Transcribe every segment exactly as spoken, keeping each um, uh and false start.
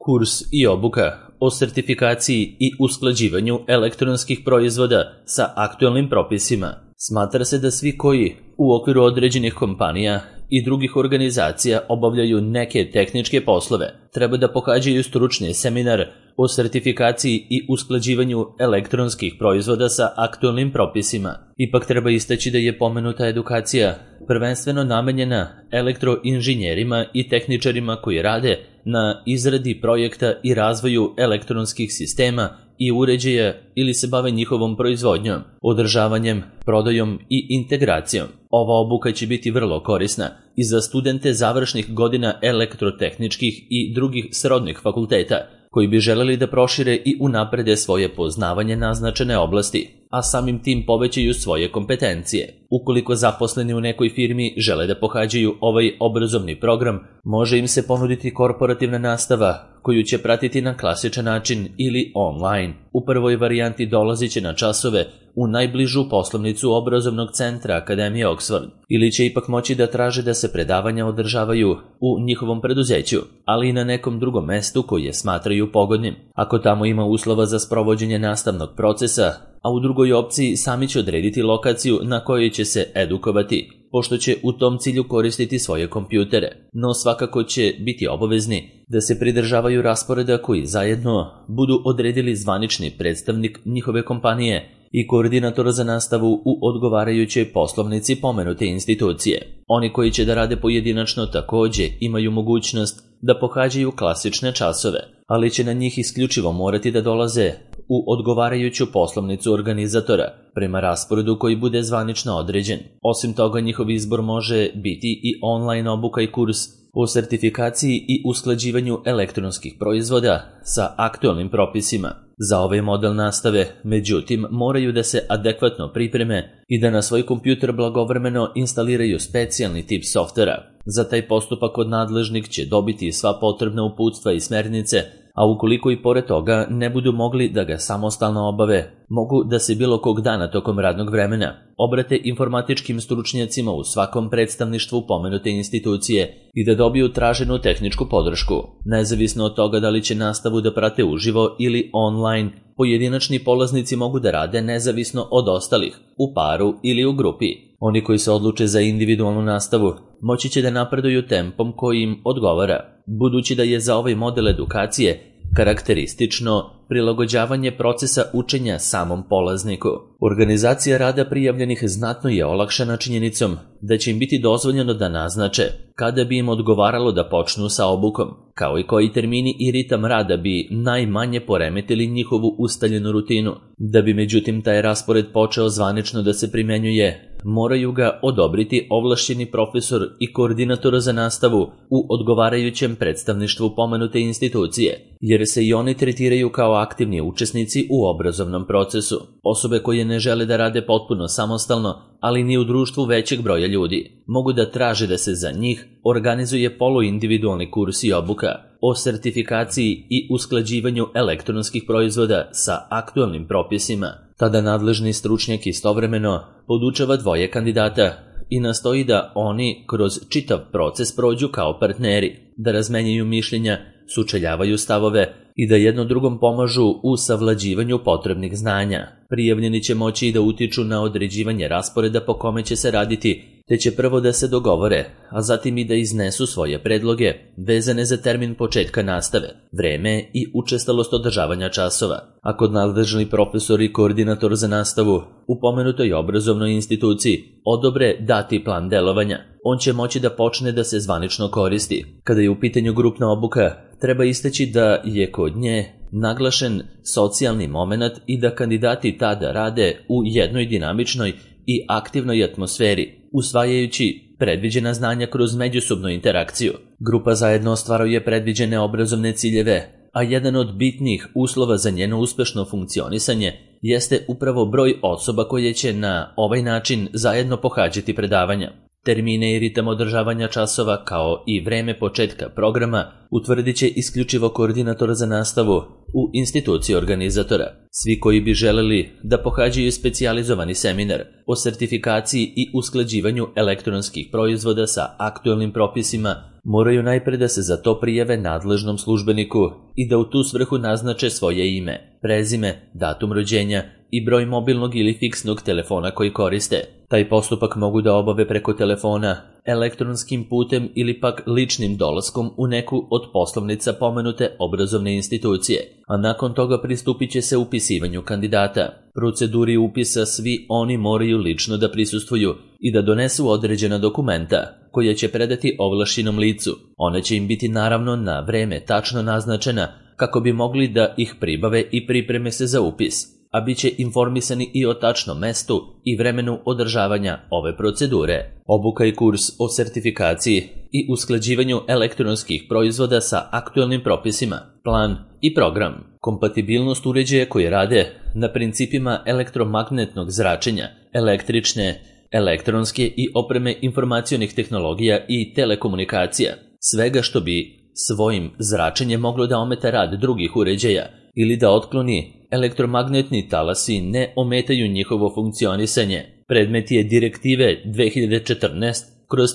Kurs i obuka o sertifikaciji i usklađivanju elektronskih proizvoda sa aktuelnim propisima. Smatra se da svi koji u okviru određenih kompanija i drugih organizacija obavljaju neke tehničke poslove treba da pohađaju stručni seminar o sertifikaciji i usklađivanju elektronskih proizvoda sa aktuelnim propisima. Ipak treba istaći da je pomenuta edukacija prvenstveno namenjena elektroinženjerima i tehničarima koji rade na izradi projekta i razvoju elektronskih sistema i uređaja ili se bave njihovom proizvodnjom, održavanjem, prodajom i integracijom. Ova obuka će biti vrlo korisna i za studente završnih godina elektrotehničkih i drugih srodnih fakulteta koji bi želeli da prošire i unaprede svoje poznavanje naznačene oblasti, a samim tim povećaju svoje kompetencije. Ukoliko zaposleni u nekoj firmi žele da pohađaju ovaj obrazovni program, može im se ponuditi korporativna nastava koju će pratiti na klasičan način ili online. U prvoj varijanti dolazit će na časove u najbližu poslovnicu obrazovnog centra Akademije Oxford ili će ipak moći da traže da se predavanja održavaju u njihovom preduzeću, ali i na nekom drugom mestu koje smatraju pogodnim. Ako tamo ima uslova za sprovođenje nastavnog procesa, a u drugoj opciji sami će odrediti lokaciju na kojoj će se edukovati, pošto će u tom cilju koristiti svoje kompjutere, no svakako će biti obavezni da se pridržavaju rasporeda koji zajedno budu odredili zvanični predstavnik njihove kompanije i koordinator za nastavu u odgovarajućoj poslovnici pomenute institucije. Oni koji će da rade pojedinačno takođe imaju mogućnost da pohađaju klasične časove, ali će na njih isključivo morati da dolaze u odgovarajuću poslovnicu organizatora prema rasporedu koji bude zvanično određen. Osim toga, njihov izbor može biti i online obuka i kurs o sertifikaciji i usklađivanju elektronskih proizvoda sa aktuelnim propisima. Za ovaj model nastave, međutim, moraju da se adekvatno pripreme i da na svoj kompjuter blagovremeno instaliraju specijalni tip softvera. Za taj postupak od nadležnih će dobiti sva potrebna uputstva i smernice, a ukoliko i pored toga ne budu mogli da ga samostalno obave, mogu da se bilo kog dana tokom radnog vremena obrate informatičkim stručnjacima u svakom predstavništvu pomenute institucije i da dobiju traženu tehničku podršku. Nezavisno od toga da li će nastavu da prate uživo ili online, pojedinačni polaznici mogu da rade nezavisno od ostalih, u paru ili u grupi. Oni koji se odluče za individualnu nastavu moći će da napreduju tempom koji im odgovara, budući da je za ovaj model edukacije karakteristično prilagođavanje procesa učenja samom polazniku. Organizacija rada prijavljenih znatno je olakšana činjenicom da će im biti dozvoljeno da naznače kada bi im odgovaralo da počnu sa obukom, kao i koji termini i ritam rada bi najmanje poremetili njihovu ustaljenu rutinu. Da bi međutim taj raspored počeo zvanično da se primenjuje, moraju ga odobriti ovlašćeni profesor i koordinator za nastavu u odgovarajućem predstavništvu pomenute institucije, jer se i oni tretiraju kao aktivni učesnici u obrazovnom procesu. Osobe koje ne žele da rade potpuno samostalno, ali ni u društvu većeg broja ljudi, mogu da traže da se za njih organizuje poluindividualni kurs i obuka o sertifikaciji i usklađivanju elektronskih proizvoda sa aktuelnim propisima. Tada nadležni stručnjak istovremeno podučava dvoje kandidata i nastoji da oni kroz čitav proces prođu kao partneri, da razmenjaju mišljenja, sučeljavaju stavove i da jedno drugom pomažu u savlađivanju potrebnih znanja. Prijavljeni će moći i da utiču na određivanje rasporeda po kome će se raditi, te će prvo da se dogovore, a zatim i da iznesu svoje predloge vezane za termin početka nastave, vreme i učestalost održavanja časova. Ako nadležni profesor i koordinator za nastavu u pomenutoj obrazovnoj instituciji odobre dati plan delovanja, on će moći da počne da se zvanično koristi. Kada je u pitanju grupna obuka, treba istaći da je kod nje naglašen socijalni moment i da kandidati tada rade u jednoj dinamičnoj i aktivnoj atmosferi, usvajajući predviđena znanja kroz međusobnu interakciju. Grupa zajedno ostvaruje predviđene obrazovne ciljeve, a jedan od bitnih uslova za njeno uspešno funkcionisanje jeste upravo broj osoba koje će na ovaj način zajedno pohađati predavanja. Termine i ritam održavanja časova kao i vreme početka programa utvrdit će isključivo koordinator za nastavu u instituciji organizatora. Svi koji bi želeli da pohađaju specijalizovani seminar o sertifikaciji i usklađivanju elektronskih proizvoda sa aktuelnim propisima moraju najpre da se za to prijave nadležnom službeniku i da u tu svrhu naznače svoje ime, prezime, datum rođenja i broj mobilnog ili fiksnog telefona koji koriste. Taj postupak mogu da obave preko telefona, elektronskim putem ili pak ličnim dolaskom u neku od poslovnica pomenute obrazovne institucije, a nakon toga pristupit će se upisivanju kandidata. Proceduri upisa svi oni moraju lično da prisustvuju i da donesu određena dokumenta koja će predati ovlašćenom licu. Ona će im biti naravno na vreme tačno naznačena kako bi mogli da ih pribave i pripreme se za upis, a bit će informisani i o tačnom mestu i vremenu održavanja ove procedure. Obuka i kurs o sertifikaciji i usklađivanju elektronskih proizvoda sa aktuelnim propisima, plan i program, kompatibilnost uređaja koji rade na principima elektromagnetnog zračenja, električne, elektronske i opreme informacionih tehnologija i telekomunikacija, svega što bi svojim zračenjem moglo da ometa rad drugih uređaja ili da otkloni elektromagnetni talasi ne ometaju njihovo funkcionisanje. Predmet je Direktive dve hiljade četrnaest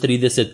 trideset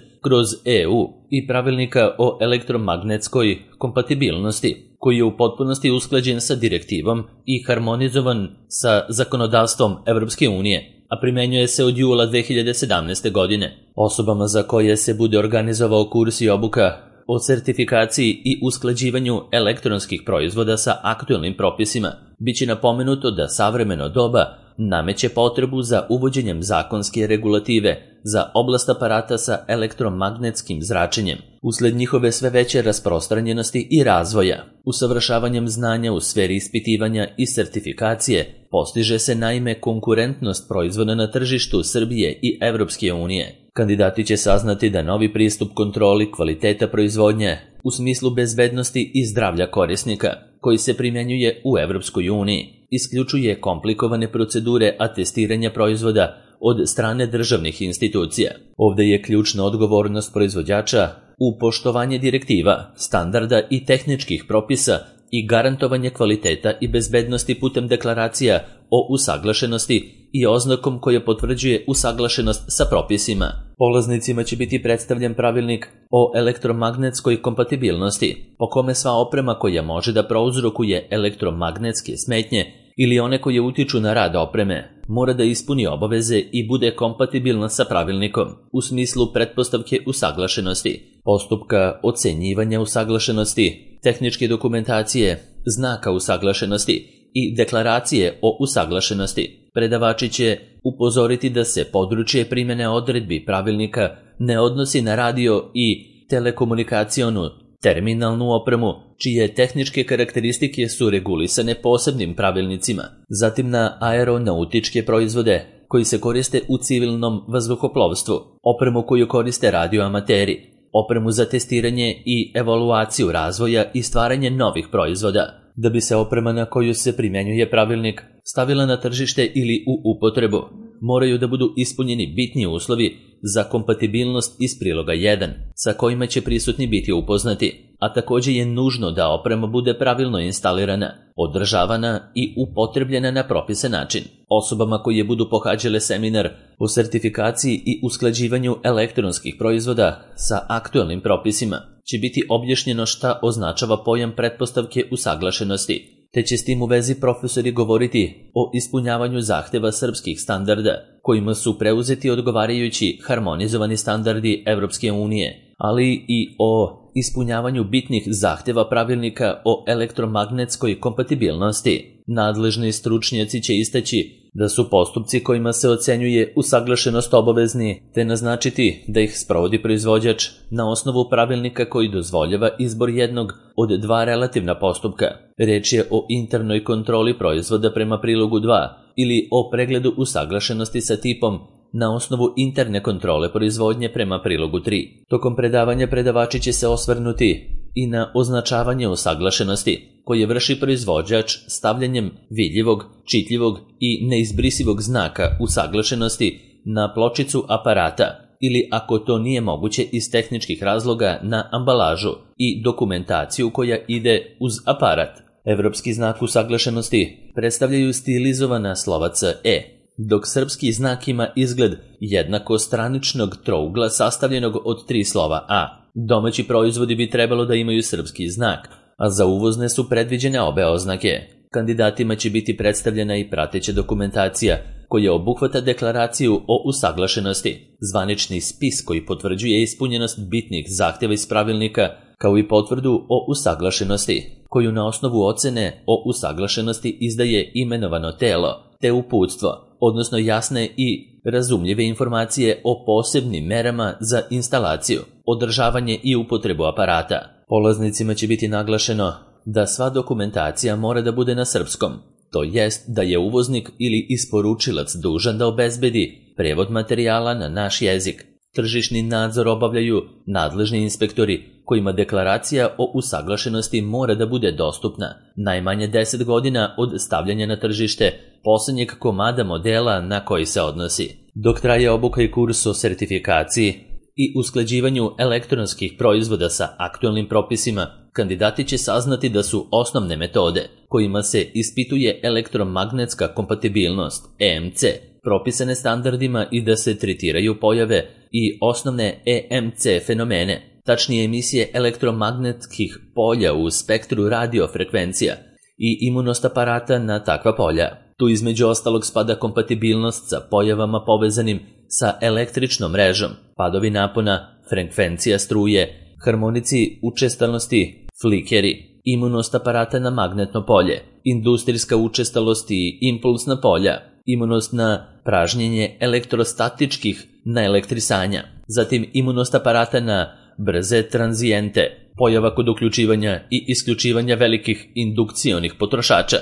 E U i Pravilnika o elektromagnetskoj kompatibilnosti, koji je u potpunosti usklađen sa direktivom i harmonizovan sa zakonodavstvom Evropske unije, a primenjuje se od jula dve hiljade sedamnaeste. godine. Osobama za koje se bude organizovao kurs i obuka o sertifikaciji i usklađivanju elektronskih proizvoda sa aktuelnim propisima, biće napomenuto da savremeno doba nameće potrebu za uvođenjem zakonske regulative za oblast aparata sa elektromagnetskim zračenjem, usled njihove sve veće rasprostranjenosti i razvoja. Usavršavanjem znanja u sferi ispitivanja i sertifikacije postiže se naime konkurentnost proizvoda na tržištu Srbije i Evropske unije. Kandidati će saznati da novi pristup kontroli kvaliteta proizvodnje u smislu bezbednosti i zdravlja korisnika, koji se primjenjuje u Evropskoj uniji, isključuje komplikovane procedure atestiranja proizvoda od strane državnih institucija. Ovde je ključna odgovornost proizvođača u poštovanje direktiva, standarda i tehničkih propisa i garantovanje kvaliteta i bezbednosti putem deklaracija o usaglašenosti i oznakom koja potvrđuje usaglašenost sa propisima. Polaznicima će biti predstavljen pravilnik o elektromagnetskoj kompatibilnosti, po kome sva oprema koja može da prouzrokuje elektromagnetske smetnje ili one koje utiču na rad opreme mora da ispuni obaveze i bude kompatibilna sa pravilnikom u smislu pretpostavke usaglašenosti, postupka ocenjivanja usaglašenosti, tehničke dokumentacije, znaka usaglašenosti i deklaracije o usaglašenosti. Predavači će upozoriti da se područje primjene odredbi pravilnika ne odnosi na radio i telekomunikacionu terminalnu opremu, čije tehničke karakteristike su regulisane posebnim pravilnicima, zatim na aeronautičke proizvode koji se koriste u civilnom vazduhoplovstvu, opremu koju koriste radioamateri, opremu za testiranje i evaluaciju razvoja i stvaranje novih proizvoda. Da bi se oprema na koju se primjenjuje pravilnik stavila na tržište ili u upotrebu, moraju da budu ispunjeni bitni uslovi za kompatibilnost iz priloga jedan, sa kojima će prisutni biti upoznati, a također je nužno da oprema bude pravilno instalirana, održavana i upotrebljena na propisan način. Osobama koje budu pohađale seminar o sertifikaciji i usklađivanju elektronskih proizvoda sa aktuelnim propisima će biti objašnjeno šta označava pojam pretpostavke usaglašenosti, te će s tim u vezi profesori govoriti o ispunjavanju zahteva srpskih standarda, kojima su preuzeti odgovarajući harmonizovani standardi Evropske unije, ali i o ispunjavanju bitnih zahteva pravilnika o elektromagnetskoj kompatibilnosti. Nadležni stručnjaci će istaći da su postupci kojima se ocenjuje usaglašenost obavezni, te naznačiti da ih sprovodi proizvođač na osnovu pravilnika koji dozvoljava izbor jednog od dva relativna postupka. Reč je o internoj kontroli proizvoda prema prilogu dva ili o pregledu usaglašenosti sa tipom na osnovu interne kontrole proizvodnje prema prilogu tri. Tokom predavanja predavači će se osvrnuti i na označavanje usaglašenosti koje vrši proizvođač stavljanjem vidljivog, čitljivog i neizbrisivog znaka usaglašenosti na pločicu aparata ili, ako to nije moguće iz tehničkih razloga, na ambalažu i dokumentaciju koja ide uz aparat. Evropski znak usaglašenosti predstavljaju stilizovana slova C E, dok srpski znak ima izgled jednako straničnog trougla sastavljenog od tri slova A. Domaći proizvodi bi trebalo da imaju srpski znak, a za uvozne su predviđene obe oznake. Kandidatima će biti predstavljena i prateća dokumentacija koja obuhvata deklaraciju o usaglašenosti, zvanični spis koji potvrđuje ispunjenost bitnih zahtjeva iz pravilnika, kao i potvrdu o usaglašenosti, koju na osnovu ocene o usaglašenosti izdaje imenovano telo, te uputstvo, odnosno jasne i razumljive informacije o posebnim merama za instalaciju, održavanje i upotrebu aparata. Polaznicima će biti naglašeno da sva dokumentacija mora da bude na srpskom, to jest da je uvoznik ili isporučilac dužan da obezbedi prevod materijala na naš jezik. Tržišni nadzor obavljaju nadležni inspektori kojima deklaracija o usaglašenosti mora da bude dostupna najmanje deset godina od stavljanja na tržište poslednjeg komada modela na koji se odnosi. Dok traje obuka i kurs o sertifikaciji i usklađivanju elektronskih proizvoda sa aktuelnim propisima, kandidati će saznati da su osnovne metode kojima se ispituje elektromagnetska kompatibilnost E M C propisane standardima i da se tretiraju pojave i osnovne E M C fenomene, tačnije emisije elektromagnetskih polja u spektru radiofrekvencija i imunost aparata na takva polja. Tu između ostalog spada kompatibilnost sa pojavama povezanim sa električnom mrežom, padovi napona, frekvencija struje, harmonici učestalosti, flikeri, imunost aparata na magnetno polje, industrijska učestalost i impulsna polja, imunost na pražnjenje elektrostatičkih naelektrisanja, zatim imunost aparata na brze tranzijente, pojava kod uključivanja i isključivanja velikih indukcionih potrošača,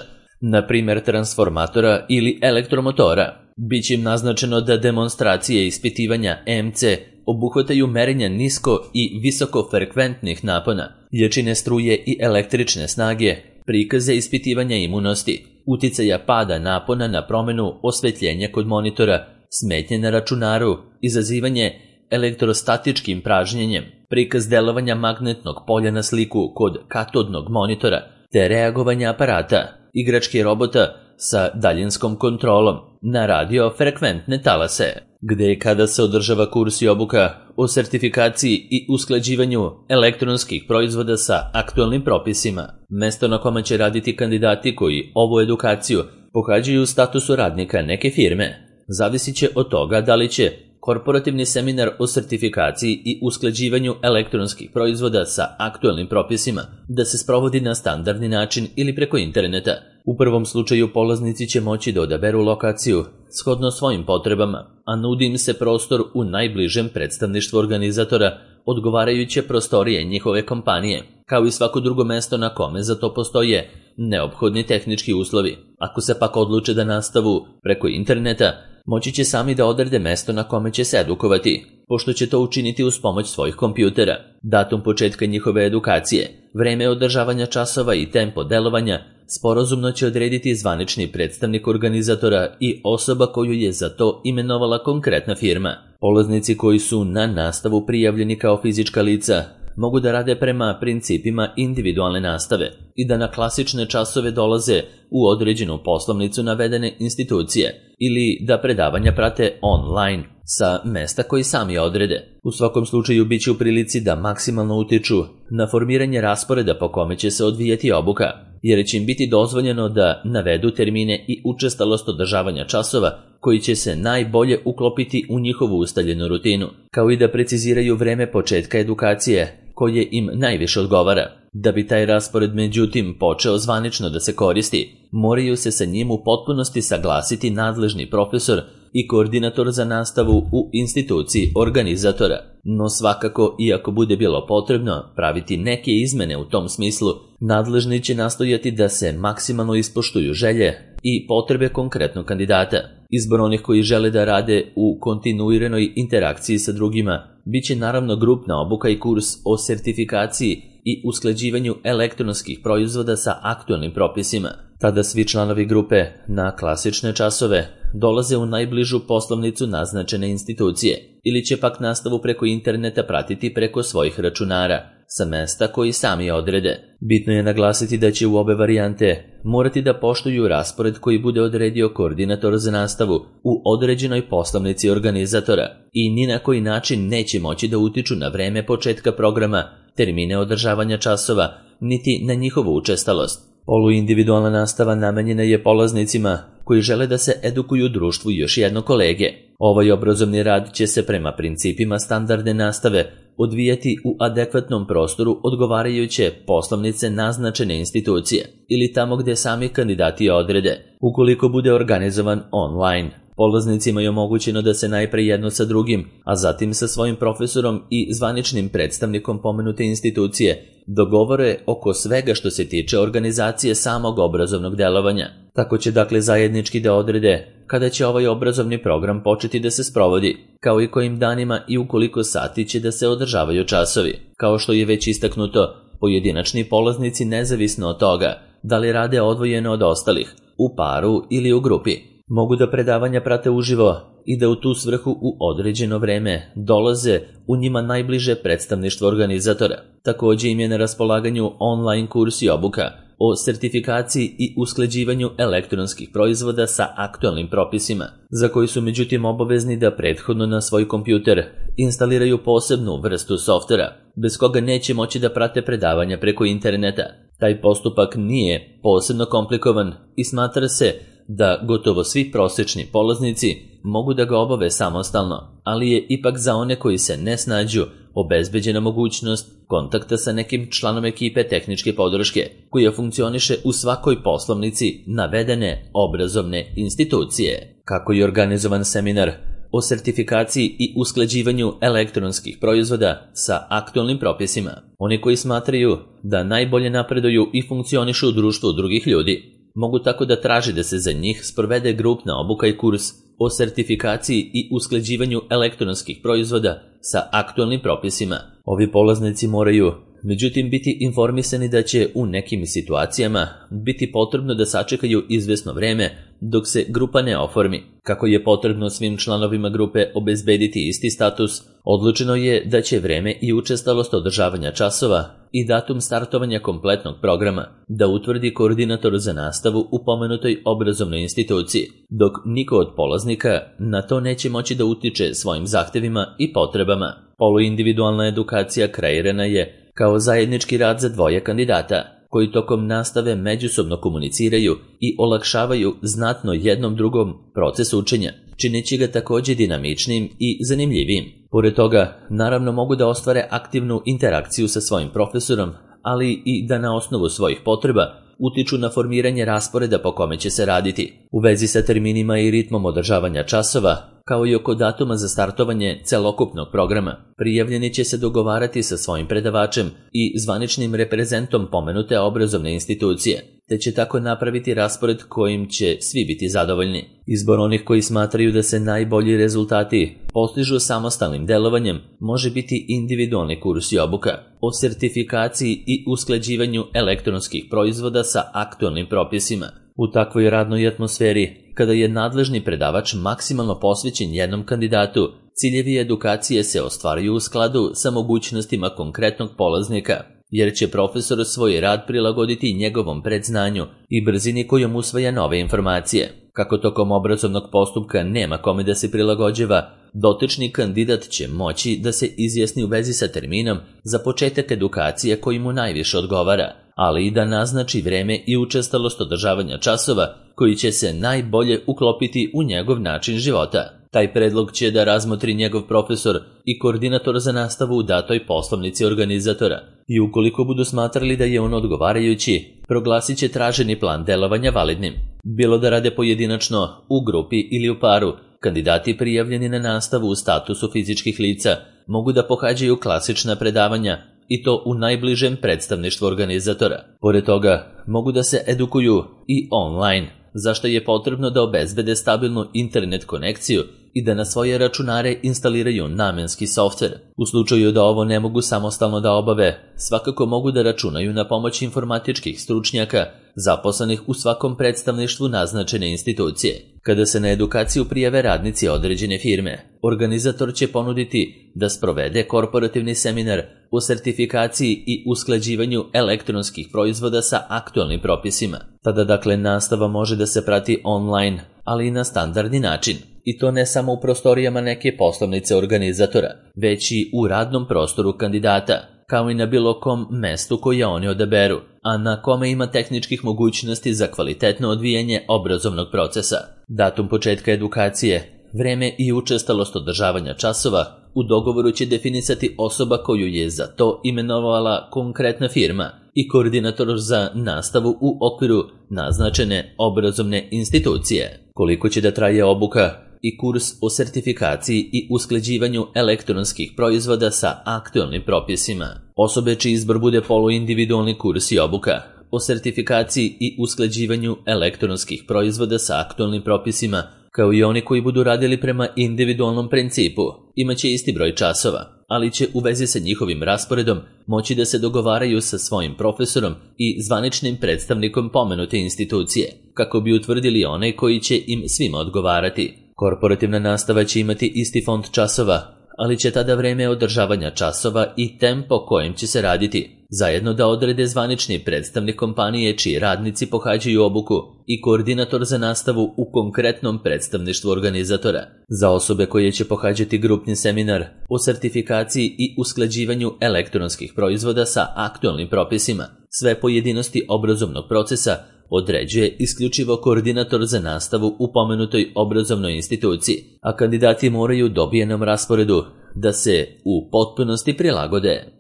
na primjer transformatora ili elektromotora. Biće im naznačeno da demonstracije ispitivanja E M C obuhvataju merenja nisko i visokofrekventnih napona, jačine struje i električne snage, prikaze ispitivanja imunosti, uticaja pada napona na promenu osvetljenja kod monitora, smetnje na računaru, izazivanje elektrostatičkim pražnjenjem, prikaz delovanja magnetnog polja na sliku kod katodnog monitora, te reagovanja aparata, igračke robota sa daljinskom kontrolom na radiofrekventne talase. Gde i kada se održava kurs i obuka o sertifikaciji i usklađivanju elektronskih proizvoda sa aktuelnim propisima. Mesto na kome će raditi kandidati koji ovu edukaciju pohađaju u statusu radnika neke firme zavisit će od toga da li će korporativni seminar o sertifikaciji i usklađivanju elektronskih proizvoda sa aktuelnim propisima da se sprovodi na standardni način ili preko interneta. U prvom slučaju polaznici će moći da odaberu lokaciju shodno svojim potrebama, a nudi im se prostor u najbližem predstavništvu organizatora odgovarajuće prostorije njihove kompanije, kao i svako drugo mesto na kome za to postoje neophodni tehnički uslovi. Ako se pak odluče da nastavu preko interneta, moći će sami da odrede mesto na kome će se edukovati, pošto će to učiniti uz pomoć svojih kompjutera. Datum početka njihove edukacije, vreme održavanja časova i tempo delovanja sporazumno će odrediti zvanični predstavnik organizatora i osoba koju je za to imenovala konkretna firma. Polaznici koji su na nastavu prijavljeni kao fizička lica mogu da rade prema principima individualne nastave i da na klasične časove dolaze u određenu poslovnicu navedene institucije ili da predavanja prate online sa mesta koji sami odrede. U svakom slučaju bit će u prilici da maksimalno utiču na formiranje rasporeda po kome će se odvijati obuka, jer će im biti dozvoljeno da navedu termine i učestalost održavanja časova koji će se najbolje uklopiti u njihovu ustaljenu rutinu, kao i da preciziraju vreme početka edukacije koje im najviše odgovara. Da bi taj raspored međutim počeo zvanično da se koristi, moraju se sa njim u potpunosti saglasiti nadležni profesor i koordinator za nastavu u instituciji organizatora. No svakako, iako bude bilo potrebno praviti neke izmene u tom smislu, nadležni će nastojati da se maksimalno ispoštuju želje i potrebe konkretnog kandidata. Izbor onih koji žele da rade u kontinuiranoj interakciji sa drugima biće naravno grupna obuka i kurs o sertifikaciji i usklađivanju elektronskih proizvoda sa aktuelnim propisima. Tada svi članovi grupe na klasične časove dolaze u najbližu poslovnicu naznačene institucije ili će pak nastavu preko interneta pratiti preko svojih računara, sa mesta koji sami odrede. Bitno je naglasiti da će u obe varijante morati da poštuju raspored koji bude odredio koordinator za nastavu u određenoj poslovnici organizatora i ni na koji način neće moći da utiču na vreme početka programa, termine održavanja časova, niti na njihovu učestalost. Poluindividualna nastava namenjena je polaznicima koji žele da se edukuju društvu još jedno kolege. Ovaj obrazovni rad će se prema principima standardne nastave odvijati u adekvatnom prostoru odgovarajuće poslovnice naznačene institucije ili tamo gde sami kandidati odrede. Ukoliko bude organizovan online, polaznicima je omogućeno da se najpre jedno sa drugim, a zatim sa svojim profesorom i zvaničnim predstavnikom pomenute institucije dogovore oko svega što se tiče organizacije samog obrazovnog delovanja. Tako će dakle zajednički da odrede kada će ovaj obrazovni program početi da se sprovodi, kao i kojim danima i u koliko sati će da se održavaju časovi. Kao što je već istaknuto, pojedinačni polaznici nezavisno od toga da li rade odvojeno od ostalih, u paru ili u grupi, mogu da predavanja prate uživo i da u tu svrhu u određeno vreme dolaze u njima najbliže predstavništvo organizatora. Takođe im je na raspolaganju online kurs i obuka o sertifikaciji i usklađivanju elektronskih proizvoda sa aktualnim propisima, za koji su međutim obavezni da prethodno na svoj kompjuter instaliraju posebnu vrstu softvera, bez koga neće moći da prate predavanja preko interneta. Taj postupak nije posebno komplikovan i smatra se da gotovo svi prosečni polaznici mogu da ga obave samostalno, ali je ipak za one koji se ne snađu obezbeđena mogućnost kontakta sa nekim članom ekipe tehničke podrške koja funkcioniše u svakoj poslovnici navedene obrazovne institucije. Kako je organizovan seminar o sertifikaciji i usklađivanju elektronskih proizvoda sa aktualnim propisima? Oni koji smatraju da najbolje napreduju i funkcionišu u društvu drugih ljudi mogu tako da traži da se za njih sprovede grupna obuka i kurs o sertifikaciji i usklađivanju elektronskih proizvoda sa aktualnim propisima. Ovi polaznici moraju, međutim, biti informisani da će u nekim situacijama biti potrebno da sačekaju izvesno vreme dok se grupa ne oformi. Kako je potrebno svim članovima grupe obezbediti isti status, odlučeno je da će vreme i učestalost održavanja časova i datum startovanja kompletnog programa da utvrdi koordinator za nastavu u pomenutoj obrazovnoj instituciji, dok niko od polaznika na to neće moći da utiče svojim zahtevima i potrebama. Poluindividualna edukacija kreirana je kao zajednički rad za dvoje kandidata, koji tokom nastave međusobno komuniciraju i olakšavaju znatno jednom drugom proces učenja, čineći ga takođe dinamičnim i zanimljivijim. Pored toga, naravno mogu da ostvare aktivnu interakciju sa svojim profesorom, ali i da na osnovu svojih potreba utiču na formiranje rasporeda po kome će se raditi. U vezi sa terminima i ritmom održavanja časova, kao i oko datuma za startovanje celokupnog programa, prijavljeni će se dogovarati sa svojim predavačem i zvaničnim reprezentom pomenute obrazovne institucije, te će tako napraviti raspored kojim će svi biti zadovoljni. Izbor onih koji smatraju da se najbolji rezultati postižu samostalnim delovanjem može biti individualni kurs i obuka o sertifikaciji i usklađivanju elektronskih proizvoda sa aktualnim propisima. U takvoj radnoj atmosferi, kada je nadležni predavač maksimalno posvećen jednom kandidatu, ciljevi edukacije se ostvaruju u skladu sa mogućnostima konkretnog polaznika, jer će profesor svoj rad prilagoditi njegovom predznanju i brzini kojom usvaja nove informacije. Kako tokom obrazovnog postupka nema kome da se prilagođava, dotični kandidat će moći da se izjasni u vezi sa terminom za početak edukacije koji mu najviše odgovara, ali i da naznači vreme i učestalost održavanja časova koji će se najbolje uklopiti u njegov način života. Taj predlog će da razmotri njegov profesor i koordinator za nastavu u datoj poslovnici organizatora i ukoliko budu smatrali da je on odgovarajući, proglasit će traženi plan delovanja validnim. Bilo da rade pojedinačno, u grupi ili u paru, kandidati prijavljeni na nastavu u statusu fizičkih lica mogu da pohađaju klasična predavanja i to u najbližem predstavništvu organizatora. Pored toga, mogu da se edukuju i online, za što je potrebno da obezbede stabilnu internet konekciju i da na svoje računare instaliraju namenski softver. U slučaju da ovo ne mogu samostalno da obave, svakako mogu da računaju na pomoć informatičkih stručnjaka zaposlenih u svakom predstavništvu naznačene institucije. Kada se na edukaciju prijave radnici određene firme, organizator će ponuditi da sprovede korporativni seminar o sertifikaciji i usklađivanju elektronskih proizvoda sa aktualnim propisima. Tada dakle nastava može da se prati online, ali i na standardni način. I to ne samo u prostorijama neke poslovnice organizatora, već i u radnom prostoru kandidata, kao i na bilo kom mestu koje oni odaberu, a na kome ima tehničkih mogućnosti za kvalitetno odvijanje obrazovnog procesa. Datum početka edukacije, vreme i učestalost održavanja časova u dogovoru će definisati osoba koju je za to imenovala konkretna firma i koordinator za nastavu u okviru naznačene obrazovne institucije. Koliko će da traje obuka i kurs o sertifikaciji i usklađivanju elektronskih proizvoda sa aktualnim propisima. Osobe čiji izbor bude poluindividualni kurs i obuka o sertifikaciji i usklađivanju elektronskih proizvoda sa aktualnim propisima, kao i oni koji budu radili prema individualnom principu, imaće isti broj časova, ali će u vezi sa njihovim rasporedom moći da se dogovaraju sa svojim profesorom i zvaničnim predstavnikom pomenute institucije, kako bi utvrdili one koji će im svima odgovarati. Korporativna nastava će imati isti fond časova, ali će tada vreme održavanja časova i tempo kojim će se raditi zajedno da odrede zvanični predstavnik kompanije čiji radnici pohađaju obuku i koordinator za nastavu u konkretnom predstavništvu organizatora. Za osobe koje će pohađati grupni seminar o sertifikaciji i usklađivanju elektronskih proizvoda sa aktualnim propisima, sve pojedinosti obrazovnog procesa određuje isključivo koordinator za nastavu u pomenutoj obrazovnoj instituciji, a kandidati moraju dobijenom rasporedu da se u potpunosti prilagode.